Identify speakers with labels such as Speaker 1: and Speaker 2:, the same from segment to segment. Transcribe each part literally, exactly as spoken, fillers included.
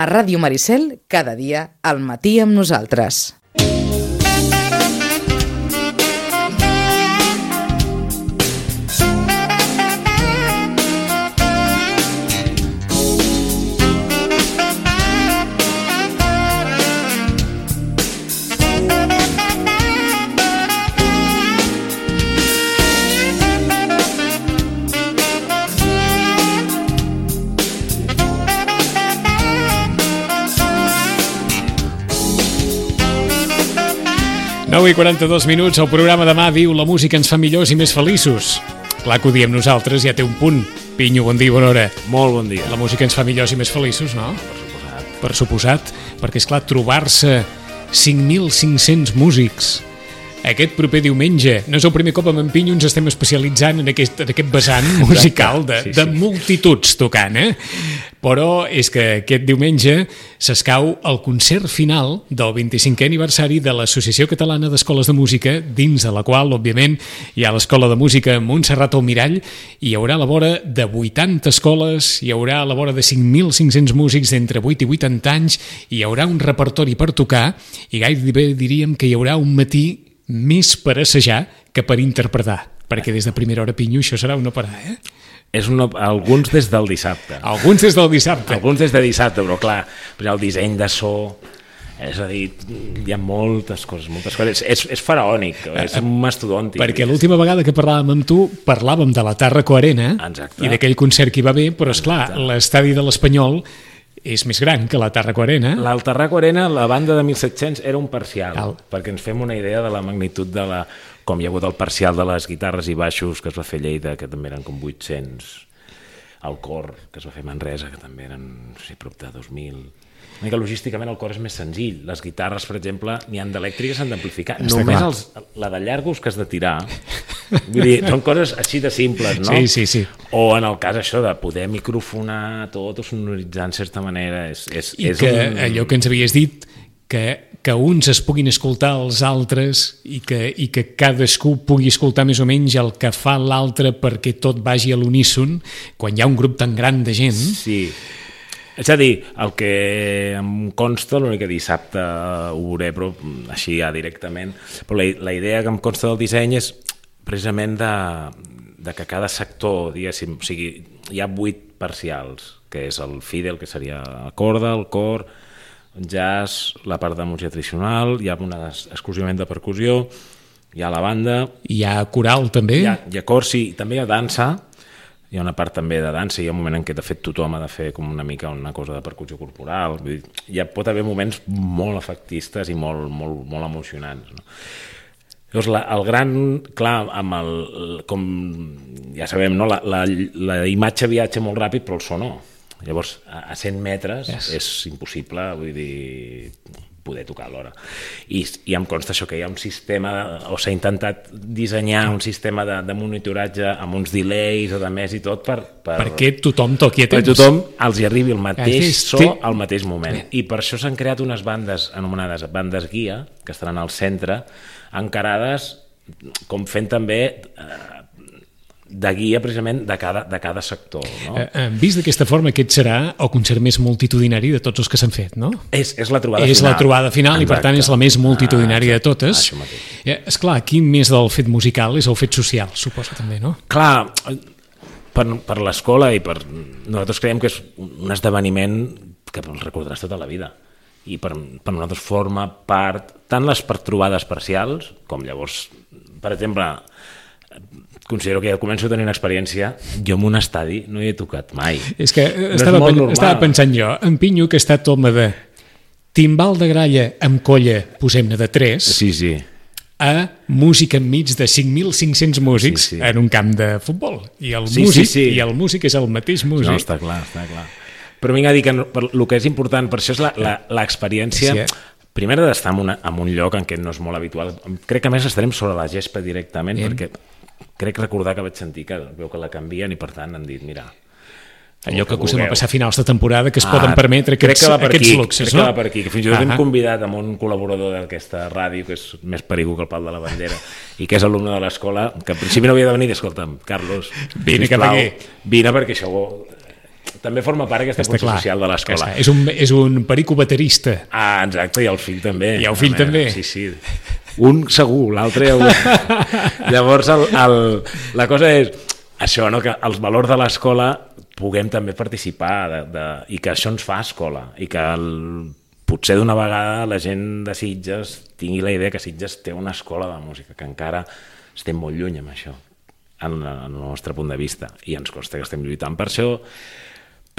Speaker 1: A Ràdio Maricel, cada dia, al matí amb nosaltres.
Speaker 2: nou i quaranta-dos minuts, el programa demà diu la música ens fa millors i més feliços. Clar que ho diem nosaltres, ja té un punt. Pinyo, bon dia, bona hora.
Speaker 3: Molt bon dia.
Speaker 2: La música ens fa millors i més feliços, no?
Speaker 3: Per suposat.
Speaker 2: Per suposat, perquè, esclar, trobar-se cinc mil cinc-cents músics aquest proper diumenge. No és el primer cop amb en Pinyo ens estem especialitzant en aquest, en aquest vessant musical de, sí, sí. de multituds tocant, eh? Però és que aquest diumenge s'escau el concert final del vint-i-cinquè aniversari de l'Associació Catalana d'Escoles de Música, dins de la qual, òbviament, hi ha l'Escola de Música Montserrat Almirall, i hi haurà a la vora de vuitanta escoles, hi haurà a la vora de cinc mil cinc-cents músics d'entre vuit i vuitanta anys, hi haurà un repertori per tocar, i gairebé diríem que hi haurà un matí més per assajar que per interpretar, perquè des de primera hora, Pinyo, això serà una parar, eh?
Speaker 3: És una, alguns des del dissabte.
Speaker 2: Alguns des del dissabte.
Speaker 3: Alguns des de dissabte, però clar, el disseny de so, és a dir, hi ha moltes coses, moltes coses. És, és faraònic, és mastodòntic.
Speaker 2: Perquè l'última vegada que parlàvem amb tu, parlàvem de la Tàrraco Arena.
Speaker 3: Exacte.
Speaker 2: I d'aquell concert que hi va haver, però esclar, l'estadi de l'Espanyol és més gran que la Tàrraco Arena.
Speaker 3: La Tàrraco Arena, la banda de mil set-cents, era un parcial,
Speaker 2: Cal.
Speaker 3: perquè ens fem una idea de la magnitud de la... Com hi ha hagut el parcial de les guitarres i baixos que es va fer a Lleida, que també eren com vuit-cents, el cor, que es va fer a Manresa, que també eren, no sé, prop de dos mil... Una mica logísticament el cor és més senzill. Les guitarres, per exemple, n'hi ha d'elèctriques, s'han d'amplificar. Només els, la de llargos que has de tirar. Vull dir, són coses així de simples, no?
Speaker 2: Sí, sí, sí.
Speaker 3: O en el cas això de poder microfonar tot o sonoritzar en certa manera. És, és,
Speaker 2: I
Speaker 3: és
Speaker 2: que
Speaker 3: un...
Speaker 2: allò que ens havies dit, que, que uns es puguin escoltar els altres i que, i que cadascú pugui escoltar més o menys el que fa l'altre perquè tot vagi a l'uníson, quan hi ha un grup tan gran de gent.
Speaker 3: Sí. És a dir, el que em consta, l'únic que dissabte ho veuré, però així ja directament, però la, la idea que em consta del disseny és precisament de, de que cada sector, diguéssim, o sigui, hi ha vuit parcials, que és el fidel, que seria la corda, el cor, el jazz, la part de música tradicional, hi ha una exclusivament de percussió, hi ha la banda...
Speaker 2: Hi ha coral, també?
Speaker 3: Hi ha, hi ha cor, sí, també hi ha dansa. Hi ha una part també de dansa, hi ha un moment en què de fet tothom ha de fer com una mica una cosa de percussió corporal, vull dir, hi pot haver moments molt efectistes i molt, molt, molt emocionants, no? Llavors, la, el gran, clar, amb el, com ja sabem, no? la, la, la imatge viatja molt ràpid, però el so no. Llavors, a, a cent metres yes. és impossible, vull dir, poder tocar alhora. I, i em consta això, que hi ha un sistema, o s'ha intentat dissenyar un sistema de, de monitoratge amb uns delays o de més i tot per... per
Speaker 2: perquè tothom toqui a temps.
Speaker 3: Per tothom els hi arribi el mateix
Speaker 2: és,
Speaker 3: so
Speaker 2: té...
Speaker 3: al mateix moment. I per això s'han creat unes bandes anomenades bandes guia, que estaran al centre, encarades com fent també... Eh, de guia precisament de cada, de cada sector, no?
Speaker 2: Eh, vist d'aquesta forma, aquest serà el concert més multitudinari de tots els que s'han fet, no?
Speaker 3: És, és la trobada
Speaker 2: és
Speaker 3: final.
Speaker 2: És la trobada final. Exacte. I per tant és la més multitudinària ah, de totes.
Speaker 3: Ah,
Speaker 2: eh, esclar, aquí més del fet musical és el fet social, suposo també, no?
Speaker 3: Clar, per, per l'escola i per... Nosaltres creiem que és un esdeveniment que el recordaràs tota la vida. I per, per nosaltres forma part tant les per trobades parcials com llavors, per exemple... Considero que ja començo a tenir una experiència. Jo en un estadi no hi he tocat mai.
Speaker 2: És que
Speaker 3: no
Speaker 2: estava,
Speaker 3: és
Speaker 2: pen estava pensant jo, en Pinyo, que ha estat home de timbal de gralla amb colla, posem-ne de tres,
Speaker 3: sí, sí.
Speaker 2: a música enmig de cinc mil cinc-cents músics
Speaker 3: sí, sí.
Speaker 2: en un camp de futbol. I el,
Speaker 3: sí,
Speaker 2: músic,
Speaker 3: sí, sí.
Speaker 2: I el músic és el mateix músic.
Speaker 3: No, està clar, està clar. Però vinc a dir que per, el que és important per això és l'experiència... Sí, eh? Primer d'estar en, una, en un lloc en què no és molt habitual. Crec que a més estarem sobre la gespa directament, Bien. perquè crec recordar que vaig sentir que veu que la canvien i per tant han dit, mira...
Speaker 2: Allò que acostem a passar finals de temporada que es ah, poden permetre aquests, aquests
Speaker 3: aquí,
Speaker 2: luxes,
Speaker 3: crec
Speaker 2: no?
Speaker 3: que va per aquí, que fins i tot hem convidat amb un col·laborador d'aquesta ràdio, que és més perigo que el pal de la bandera, i que és alumne de l'escola, que al principi no havia de venir, i escolta'm, Carlos,
Speaker 2: vine cap aquí.
Speaker 3: Vine perquè això també forma part d'aquesta funció
Speaker 2: clar,
Speaker 3: social de l'escola.
Speaker 2: És un, és un perico baterista.
Speaker 3: Ah, exacte, i el fill també.
Speaker 2: I el fill
Speaker 3: Home,
Speaker 2: també.
Speaker 3: Sí, sí. Un segur, l'altre... Llavors, el, el, la cosa és això, no? Que els valors de l'escola puguem també participar de, de, i que això ens fa escola i que el, potser d'una vegada la gent de Sitges tingui la idea que Sitges té una escola de música, que encara estem molt lluny amb això, en, en el nostre punt de vista, i ens costa que estem lluitant per això,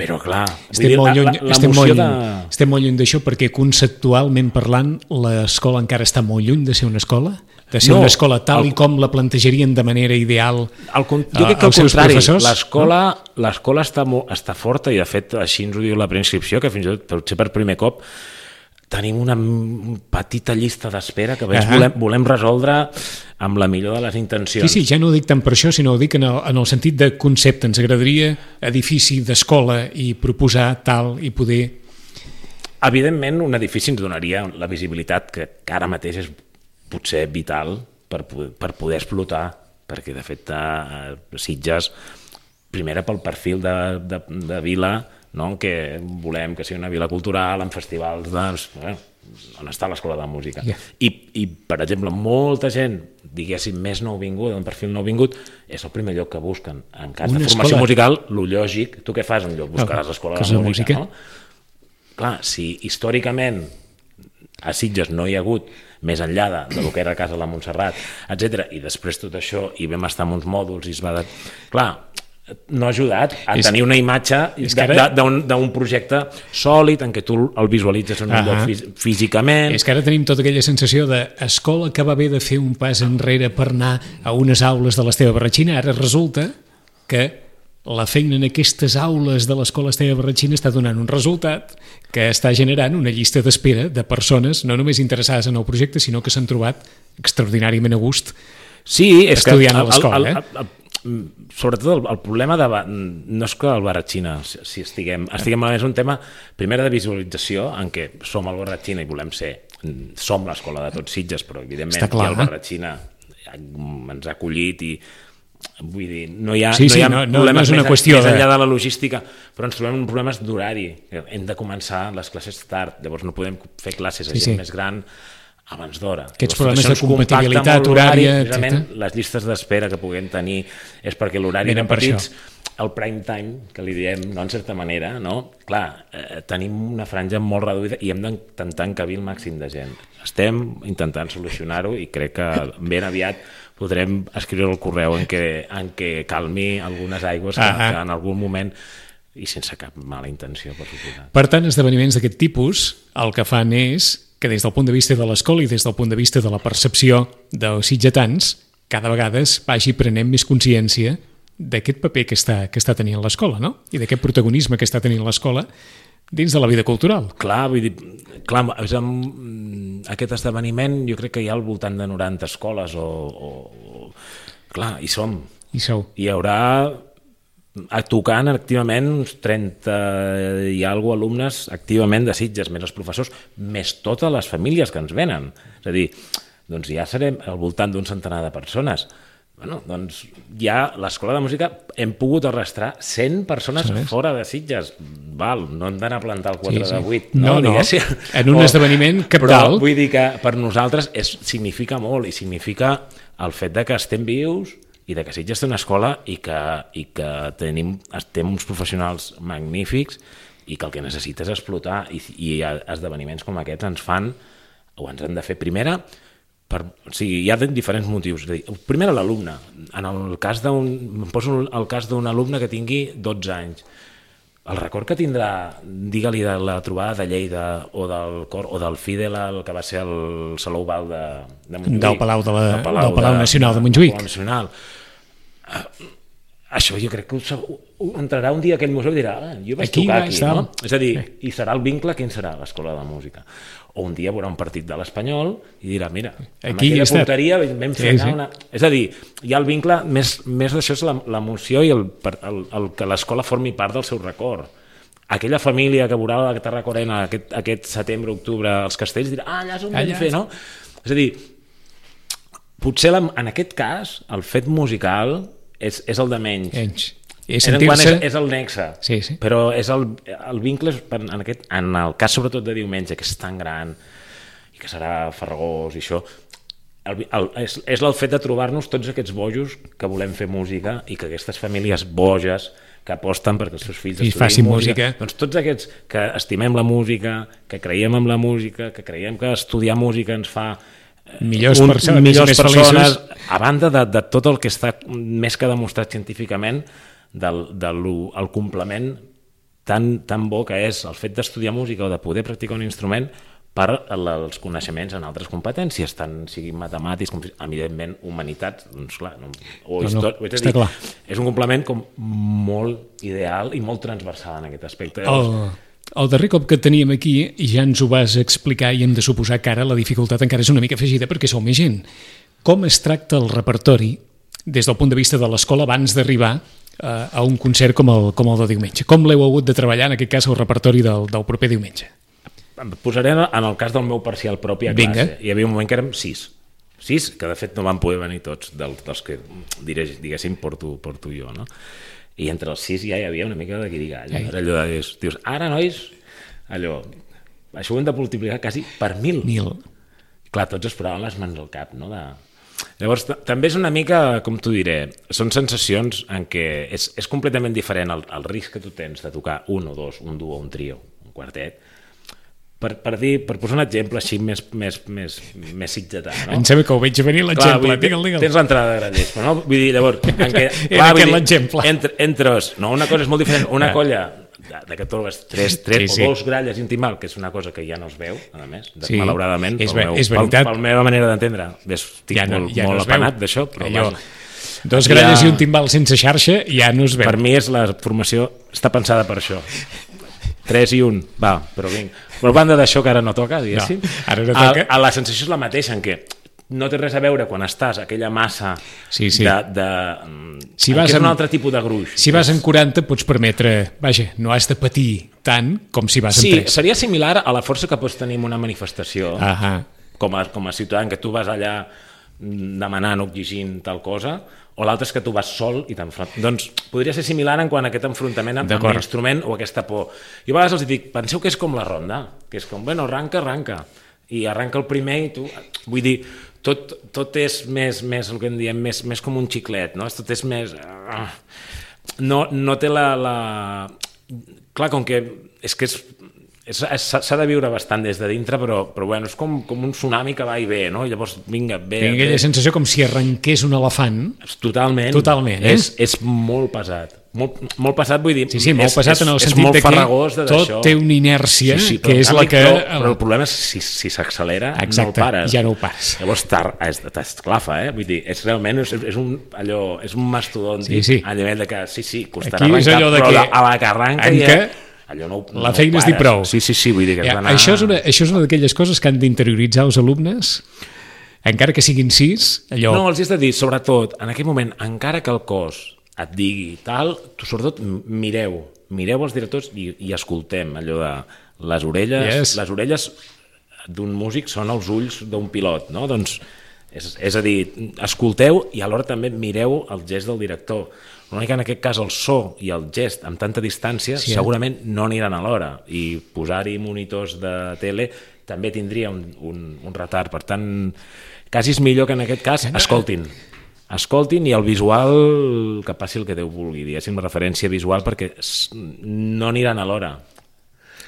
Speaker 3: però clar...
Speaker 2: Estem, dir, molt, lluny, la, la estem, molt,
Speaker 3: de...
Speaker 2: estem molt lluny d'això perquè conceptualment parlant l'escola encara està molt lluny de ser una escola, de ser no, una escola tal el... i com la plantejarien de manera ideal
Speaker 3: el, jo crec que
Speaker 2: als
Speaker 3: al
Speaker 2: seus
Speaker 3: contrari,
Speaker 2: professors.
Speaker 3: L'escola no? l'escola està, està forta i de fet així ens ho diu la preinscripció, que fins i tot potser per primer cop tenim una petita llista d'espera que uh -huh. volem, volem resoldre amb la millor de les intencions.
Speaker 2: Sí, sí, ja no ho dic tant per això, sinó ho dic en el, en el sentit de concepte. Ens agradaria edifici d'escola i proposar tal i poder...
Speaker 3: Evidentment, un edifici ens donaria la visibilitat que, que ara mateix és potser vital per, per poder explotar, perquè de fet a Sitges, primera pel perfil de, de, de vila, no? Que volem que sigui una vila cultural amb festivals de... Bueno, on està l'escola de música. Yeah. I, I, per exemple, molta gent, diguéssim, més nouvinguda, d'un perfil nouvingut, és el primer lloc que busquen. En cas una de formació escola... musical, lo lògic, tu què fas en lloc? Buscaràs l'escola de, de música, música, no? Clar, si històricament a Sitges no hi ha hagut més enllà de, de lo que era Casa de la Montserrat, etcètera, i després tot això, i vam estar en uns mòduls, i es va... De... Clar, no ha ajudat a és, tenir una imatge d'un projecte sòlid en què tu el visualitzes en un uh -huh. lloc fí físicament.
Speaker 2: És que ara tenim tota aquella sensació d'escola que va haver de fer un pas enrere per anar a unes aules de l'Esteve Barratxina. Ara resulta que la feina en aquestes aules de l'escola Esteve Barratxina està donant un resultat que està generant una llista d'espera de persones no només interessades en el projecte, sinó que s'han trobat extraordinàriament a gust
Speaker 3: sí, és
Speaker 2: estudiant
Speaker 3: que
Speaker 2: a l'escola. Eh?
Speaker 3: El, el, sobretot el, el problema de, no és que el Barratxina si estiguem, estiguem és un tema primer de visualització en què som el Barratxina i volem ser som l'escola de tots Sitges, però evidentment
Speaker 2: clar,
Speaker 3: el Barratxina ens ha acollit i vull dir, no hi ha,
Speaker 2: sí,
Speaker 3: no hi ha
Speaker 2: sí, no,
Speaker 3: problemes
Speaker 2: no és una
Speaker 3: més,
Speaker 2: qüestió
Speaker 3: més enllà
Speaker 2: de...
Speaker 3: de la logística, però ens trobem problemes d'horari, hem de començar les classes tard, llavors no podem fer classes a sí, gent sí. més gran abans d'hora.
Speaker 2: Aquests problemes de compatibilitat horària, etcètera.
Speaker 3: Les llistes d'espera que puguem tenir és perquè l'horari de petits, el prime time, que li diem, no, en certa manera, no? Clar, eh, tenim una franja molt reduïda i hem d'intentar encabir el màxim de gent. Estem intentant solucionar-ho i crec que ben aviat podrem escriure el correu en què, en què calmi algunes aigües que, que en algun moment i sense cap mala intenció, per suposar.
Speaker 2: Per tant, esdeveniments d'aquest tipus el que fan és que des del punt de vista de l'escola i des del punt de vista de la percepció dels sitgetans, cada vegada es vagi prenent més consciència d'aquest paper que està, que està tenint l'escola, no? I d'aquest protagonisme que està tenint l'escola dins de la vida cultural.
Speaker 3: Clar, vull dir, clar, és amb aquest esdeveniment jo crec que hi ha al voltant de noranta escoles o... o clar, hi som.
Speaker 2: Hi sou.
Speaker 3: Hi haurà tocant activament uns trenta i alguna alumnes activament de Sitges, més els professors, més totes les famílies que ens venen. És a dir, doncs ja serem al voltant d'un centenar de persones. Bueno, doncs ja l'escola de música hem pogut arrastrar cent persones sí, fora de Sitges. Val, no hem d'anar a plantar el quatre sí, sí. de vuit.
Speaker 2: No, no, no. En un o, esdeveniment capdalt.
Speaker 3: Però vull dir que per nosaltres és, significa molt i significa el fet de que estem vius i de que Sitges té una escola i que, i que tenim, tenim uns professionals magnífics i que el que necessita és explotar i, i esdeveniments com aquests ens fan o ens han de fer primera per, o sigui, hi ha diferents motius. Primer a l'alumne. En el cas d'un, em poso el cas d'un alumne que tingui dotze anys. El record que tindrà, digue-li de la trobada de Lleida o del cor o del Fidel, el que va ser el Salou Oval de, de Montjuïc.
Speaker 2: Del Palau, de la, del Palau, del Palau de, Nacional de Montjuïc.
Speaker 3: Del Palau Nacional. Uh, això jo crec que ho, ho entrarà un dia a aquell museu i dirà ah, jo vaig aquí tocar aquí, no? És a dir, sí. I serà el vincle, quin serà l'escola de música? O un dia veurà un partit de l'Espanyol i dirà, mira, amb aquí aquella porteria vam fer sí, sí. una... És a dir, hi ha el vincle, més, més d'això és l'emoció i el, el, el que l'escola formi part del seu record. Aquella família que veurà la Tarracorena aquest, aquest setembre, octubre, als castells, dirà, ah, allà és on vam fer, no? És a dir, potser la, en aquest cas el fet musical és, és el de menys.
Speaker 2: menys. És
Speaker 3: en quant
Speaker 2: sentir-se...
Speaker 3: és, és el nexe,
Speaker 2: Sí, sí.
Speaker 3: però és el, el vincle, és per- en, aquest, en el cas sobretot de diumenge, que és tan gran i que serà farragós i això, el, el, és, és el fet de trobar-nos tots aquests bojos que volem fer música i que aquestes famílies boges que aposten perquè els seus fills
Speaker 2: I
Speaker 3: estudien
Speaker 2: facin
Speaker 3: música.
Speaker 2: música.
Speaker 3: Doncs tots aquests que estimem la música, que creiem en la música, que creiem que estudiar música ens fa
Speaker 2: Millors
Speaker 3: un,
Speaker 2: persones,
Speaker 3: millors
Speaker 2: més
Speaker 3: persones,
Speaker 2: feliços.
Speaker 3: a banda de, de tot el que està més que demostrat científicament del, del el complement tan, tan bo que és el fet d'estudiar música o de poder practicar un instrument per els coneixements en altres competències, tant siguin matemàtics com, evidentment, humanitats, doncs clar, no, o
Speaker 2: No, no,
Speaker 3: història, és, a
Speaker 2: està
Speaker 3: dir,
Speaker 2: clar.
Speaker 3: és un complement com molt ideal i molt transversal en aquest aspecte.
Speaker 2: El, el darrer cop que et teníem aquí ja ens ho vas explicar i hem de suposar que ara la dificultat encara és una mica afegida perquè sou més gent. Com es tracta el repertori des del punt de vista de l'escola abans d'arribar a, a un concert com el, com el de diumenge? Com l'heu hagut de treballar, en aquest cas, el repertori del, del proper diumenge?
Speaker 3: Em posaré en el cas del meu parcial propi a
Speaker 2: Vinga.
Speaker 3: classe. Hi havia un moment que érem sis. Sis, que de fet no van poder venir tots, dels, dels que diré, diguéssim porto, porto jo, no? I entre els sis ja hi havia una mica de guirigall.
Speaker 2: Ai.
Speaker 3: Era allò de dir, dius, ara, nois, allò, això ho hem de multiplicar quasi per mil.
Speaker 2: Mil.
Speaker 3: Clar, tots es posaven les mans al cap, no? De... Llavors, també és una mica, com t'ho diré, són sensacions en què és, és completament diferent el, el risc que tu tens de tocar un o dos, un duo, un trio, un quartet. Per, per dir, per posar un exemple així més, més, més, més sitgetà, no?
Speaker 2: Em sembla que ho veig venir l'exemple. Digue'l, digue'l.
Speaker 3: Tens l'entrada de Granollers, però no? Vull dir, llavors, en què,
Speaker 2: Era aquest l'exemple.
Speaker 3: Entre, entres, no, una cosa és molt diferent, una colla de, de que trobes tres, tres
Speaker 2: Sí, sí.
Speaker 3: o dos gralles i un timbal, que és una cosa que ja no es veu, a més,
Speaker 2: Sí,
Speaker 3: malauradament,
Speaker 2: és
Speaker 3: pel
Speaker 2: ve-
Speaker 3: meu,
Speaker 2: és veritat.
Speaker 3: pel, pel meva manera d'entendre, estic
Speaker 2: Ja no-
Speaker 3: molt,
Speaker 2: ja no
Speaker 3: molt
Speaker 2: es veu.
Speaker 3: apanat d'això, però
Speaker 2: Allò,
Speaker 3: vaja,
Speaker 2: dos
Speaker 3: Ja-
Speaker 2: gralles i un timbal sense xarxa ja no es veu.
Speaker 3: per mi és la formació, està pensada per això. tres i un, va, però vinga. Però a banda d'això que ara no toca, diguéssim,
Speaker 2: No, ara no toca.
Speaker 3: A, a la sensació és la mateixa, en què no té res a veure quan estàs a aquella massa
Speaker 2: Sí, sí.
Speaker 3: de... de
Speaker 2: Si
Speaker 3: en
Speaker 2: vas
Speaker 3: què és
Speaker 2: amb-
Speaker 3: un altre tipus de gruix.
Speaker 2: Si vas en quaranta pots permetre, vaja, no has de patir tant com si vas en
Speaker 3: Sí,
Speaker 2: tres.
Speaker 3: seria similar a la força que pots tenir en una manifestació,
Speaker 2: Ahà.
Speaker 3: com a, com a ciutadà, en què tu vas allà mm, demanant o exigint tal cosa, o l'altre és que tu vas sol i t'enfrontes. Doncs podria ser similar en quant a aquest enfrontament amb, amb
Speaker 2: D'acord.
Speaker 3: l'instrument o aquesta por. I a vegades els dic, penseu que és com la ronda, que és com, bueno, arranca, arranca, i arranca el primer i tu... Vull dir, tot, tot és més, més, el que en diem, més, més com un xiclet, no? Tot és més... No, no té la, la... Clar, com que és que és... s'ha de viure bastant des de dintre, però, però bueno, és com, com un tsunami que va i ve, no? I llavors, vinga, ve...
Speaker 2: Tinc aquella
Speaker 3: ve.
Speaker 2: sensació com si arrenqués un elefant.
Speaker 3: Totalment.
Speaker 2: Totalment, eh?
Speaker 3: És, és molt pesat. Molt, molt pesat, vull dir...
Speaker 2: Sí, sí, molt
Speaker 3: és,
Speaker 2: pesat
Speaker 3: és,
Speaker 2: en el
Speaker 3: és
Speaker 2: sentit
Speaker 3: molt
Speaker 2: de que
Speaker 3: farragós de
Speaker 2: tot
Speaker 3: d'això.
Speaker 2: té una inèrcia,
Speaker 3: sí, sí,
Speaker 2: que és la que...
Speaker 3: Però, però el problema és si si s'accelera, no el
Speaker 2: Exacte,
Speaker 3: pares.
Speaker 2: ja no ho pares.
Speaker 3: Llavors t'esclafa, eh? Vull dir, és realment és, és un, allò, és un mastodont
Speaker 2: Sí, sí.
Speaker 3: a nivell de que sí, sí, costarà
Speaker 2: Aquí és
Speaker 3: arrencar,
Speaker 2: allò de
Speaker 3: però
Speaker 2: que
Speaker 3: la, a la que arranca
Speaker 2: arrenca,
Speaker 3: ja... Allò no, no
Speaker 2: la feina és dir
Speaker 3: pares.
Speaker 2: prou.
Speaker 3: Sí, sí, sí, vull dir que has
Speaker 2: Ja,
Speaker 3: d'anar...
Speaker 2: això, és una, això és una d'aquelles coses que han d'interioritzar els alumnes, encara que siguin sis, allò...
Speaker 3: No, els has de dir, sobretot, en aquell moment, encara que el cos et digui tal, tu sobretot mireu, mireu els directors i, i escoltem allò de les orelles,
Speaker 2: Yes.
Speaker 3: les orelles d'un músic són els ulls d'un pilot, no? Doncs, és, és a dir, escolteu i alhora també mireu el gest del director. L'únic que en aquest cas el so i el gest amb tanta distància
Speaker 2: Sí,
Speaker 3: sí,
Speaker 2: eh?
Speaker 3: segurament no aniran alhora, i posar-hi monitors de tele també tindria un, un, un retard. Per tant, quasi és millor que en aquest cas escoltin. Escoltin i el visual que passi el que Déu vulgui, diguéssim, referència visual, perquè s- no aniran alhora.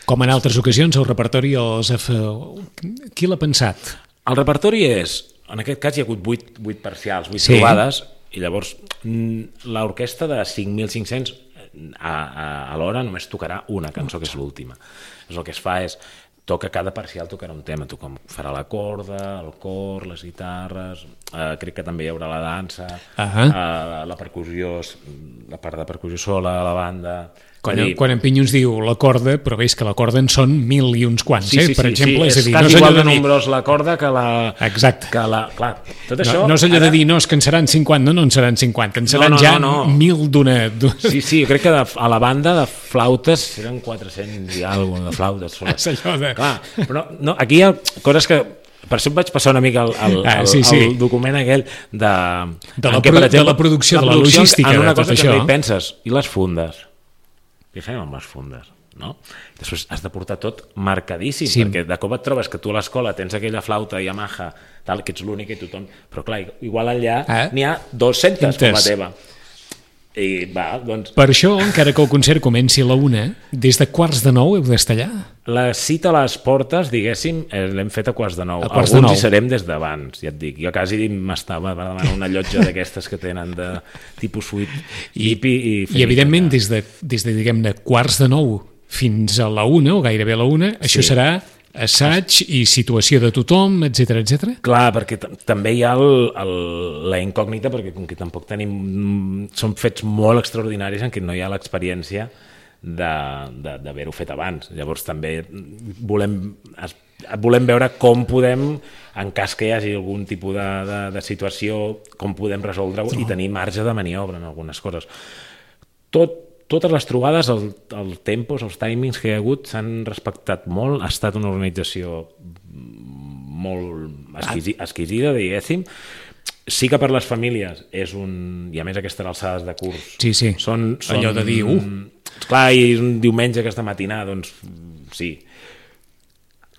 Speaker 2: Com en altres ocasions, el repertori els ha fe- Qui l'ha pensat?
Speaker 3: El repertori és, en aquest cas hi ha hagut vuit, vuit parcials, vuit
Speaker 2: Sí.
Speaker 3: trobades, i llavors mm, l'orquestra de cinc mil cinc-cents a, a, a l'hora només tocarà una cançó, que és l'última. Llavors el que es fa és, toca cada parcial tocarà un tema, tu com farà la corda, el cor, les guitarres, eh, crec que també hi haurà la dansa,
Speaker 2: Ahà.
Speaker 3: eh, la percussió, la part de percussió sola, la banda...
Speaker 2: Quan,
Speaker 3: És a dir,
Speaker 2: quan en Pinyons diu la corda, però veus que la corda en són mil i uns quants,
Speaker 3: Sí,
Speaker 2: eh?
Speaker 3: sí,
Speaker 2: per
Speaker 3: sí,
Speaker 2: exemple,
Speaker 3: sí,
Speaker 2: és a dir,
Speaker 3: és
Speaker 2: no
Speaker 3: quasi
Speaker 2: és allò
Speaker 3: igual de
Speaker 2: de dir...
Speaker 3: nombrós la corda que la...
Speaker 2: Exacte.
Speaker 3: Que la, clar, tot això...
Speaker 2: No, no és allò
Speaker 3: ara-
Speaker 2: de dir, no, és que en seran cinquanta, no, no en seran cinquanta, en seran
Speaker 3: no,
Speaker 2: ja
Speaker 3: no, no.
Speaker 2: mil d'una... d'una-
Speaker 3: Sí, sí, jo crec que de, a la banda de flautes eren quatre-cents i alguna de flautes soles.
Speaker 2: És allò de...
Speaker 3: Clar, però no, aquí hi ha coses que Per això em vaig passar una mica el, el,
Speaker 2: ah,
Speaker 3: el,
Speaker 2: sí, sí.
Speaker 3: el document aquell de...
Speaker 2: De la,
Speaker 3: què,
Speaker 2: pro,
Speaker 3: per exemple,
Speaker 2: de la producció,
Speaker 3: la
Speaker 2: de la logística,
Speaker 3: en una
Speaker 2: de tot
Speaker 3: cosa
Speaker 2: això.
Speaker 3: Que també hi penses, i les fundes? Què fem amb les fundes? No? Després has de portar tot marcadíssim, sí. perquè de cop et trobes que tu a l'escola tens aquella flauta Yamaha, tal, que ets l'únic i tothom... Però clar, igual allà eh? n'hi ha dos-centes com la teva. I va, doncs...
Speaker 2: Per això, encara que el concert comenci a la una, des de quarts de nou heu d'estar allà.
Speaker 3: La cita a les portes, diguéssim, l'hem fet a quarts de nou.
Speaker 2: A quarts
Speaker 3: Alguns
Speaker 2: de nou.
Speaker 3: hi serem des d'abans, ja et dic. Jo quasi m'estava per demanar una llotja d'aquestes que tenen de tipus suite hippie. I,
Speaker 2: I evidentment, des de, des de diguem-ne, quarts de nou fins a la una, o gairebé a la una, sí. Això serà assaig i situació de tothom, etcètera, etcètera. Clar,
Speaker 3: perquè també hi ha el, el, la incògnita, perquè com que tampoc tenim... Són fets molt extraordinaris en què no hi ha l'experiència d'haver-ho fet abans. Llavors també volem, volem veure com podem, en cas que hi hagi algun tipus de, de, de situació, com podem resoldre-ho no. i tenir marge de maniobra en algunes coses. Tot Totes les trobades, el, el tempos, els timings que hi ha hagut s'han respectat molt, ha estat una organització molt exquisi, exquisida, diguéssim. Sí que per les famílies és un... I a més aquestes alçades de curs...
Speaker 2: Sí, sí,
Speaker 3: són, són,
Speaker 2: allò de dir... Uh.
Speaker 3: Clar, i un diumenge aquesta matinada, doncs sí.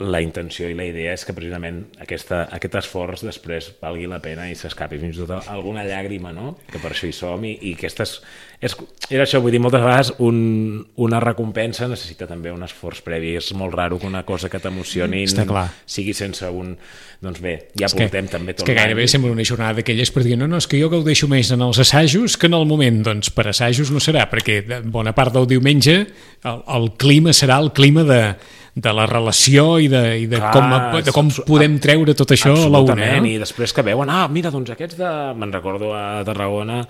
Speaker 3: La intenció i la idea és que precisament aquesta, aquest esforç després valgui la pena i s'escapi fins i tot alguna llàgrima, no? Que per això hi som i, i aquestes... És, era això, vull dir, moltes vegades un, una recompensa necessita també un esforç previ. És molt raro que una cosa que t'emocioni sigui sense un... Doncs bé, ja és portem que, també tot
Speaker 2: l'any. És que gairebé sembla una jornada d'aquelles per dir no, no, és que jo gaudeixo més en els assajos que en el moment. Doncs per assajos no serà, perquè bona part del diumenge el, el clima serà el clima de... de la relació i de, i de, Clar, com, de com podem treure tot això a la una. No?
Speaker 3: I després que veuen, ah, mira, doncs aquests de... Me'n recordo a Tarragona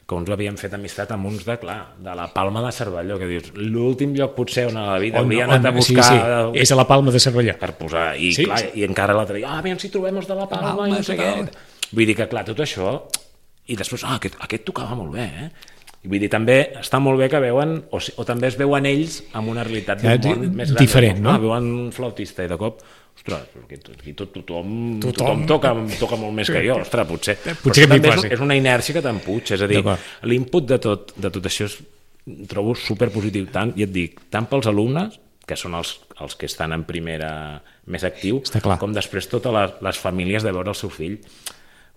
Speaker 3: que uns havien fet amistat amb uns de, clar, de la Palma de Cervelló, que dius, l'últim lloc potser on a la vida hauria anat a buscar...
Speaker 2: Sí, sí, és a la Palma de Cervelló.
Speaker 3: Per posar, i
Speaker 2: sí,
Speaker 3: clar,
Speaker 2: sí.
Speaker 3: i encara l'altre dia, ah, aviam si trobem els de la Palma, Palma i no sé què. Vull dir que, clar, tot això... I després, ah, aquest, aquest tocava molt bé, eh? I vull dir, també està molt bé que veuen, o, o també es veuen ells amb una realitat d'un món més gran.
Speaker 2: Diferent, no?
Speaker 3: Ah, veuen un flautista i de cop, ostres, aquí tot, tothom, tothom, tothom toca, toca molt més que jo, ostres, potser.
Speaker 2: Potser que
Speaker 3: també és, és una inèrcia que t'empuig, és a dir, l'input de tot, de tot això és, trobo superpositiu, tant, i et dic, tant pels alumnes, que són els, els que estan en primera més actiu, com després totes les, les famílies de veure el seu fill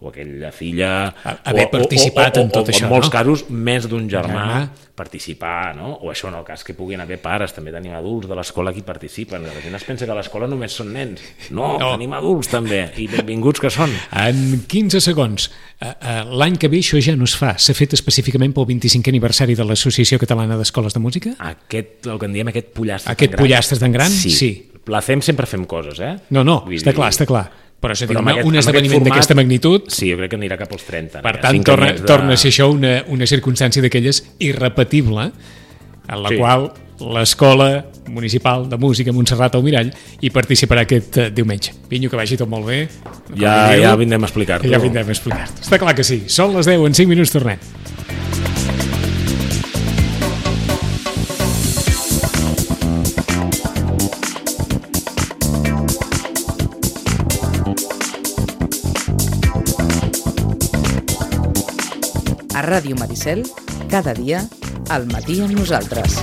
Speaker 3: o aquella filla...
Speaker 2: Haver
Speaker 3: o,
Speaker 2: participat
Speaker 3: o, o,
Speaker 2: en tot
Speaker 3: o,
Speaker 2: això,
Speaker 3: o en molts
Speaker 2: no?
Speaker 3: casos, més d'un germà,
Speaker 2: germà
Speaker 3: participar, no? O això en el cas que puguin haver pares, també tenim adults de l'escola que hi participen. La gent es pensa que a l'escola només són nens. No, no, tenim adults també, i benvinguts que són.
Speaker 2: En quinze segons, l'any que ve això ja no es fa. S'ha fet específicament pel vint-i-cinquè aniversari de l'Associació Catalana d'Escoles de Música?
Speaker 3: Aquest, el que en diem aquest pollastre
Speaker 2: aquest tan gran. Aquest pollastre tan gran?
Speaker 3: Sí.
Speaker 2: sí.
Speaker 3: La fem, sempre fem coses, eh?
Speaker 2: No, no, Vull està dir... clar, està clar. Però, és a dir,
Speaker 3: Però
Speaker 2: una,
Speaker 3: aquest,
Speaker 2: un esdeveniment d'aquesta magnitud...
Speaker 3: Sí, jo crec que anirà cap als trenta.
Speaker 2: Per tant, torna, de... torna a ser això una, una circumstància d'aquelles irrepetible, en la sí. qual l'Escola Municipal de Música Montserrat Almirall hi participarà aquest uh, diumenge. Pinyo, que vagi tot molt bé.
Speaker 3: Ja, ja vindrem a explicar-t'ho.
Speaker 2: Ja vindrem a explicar-t'ho. Està clar que sí. Són les deu, en cinc minuts tornem.
Speaker 1: A Ràdio Maricel, cada dia, al matí amb nosaltres.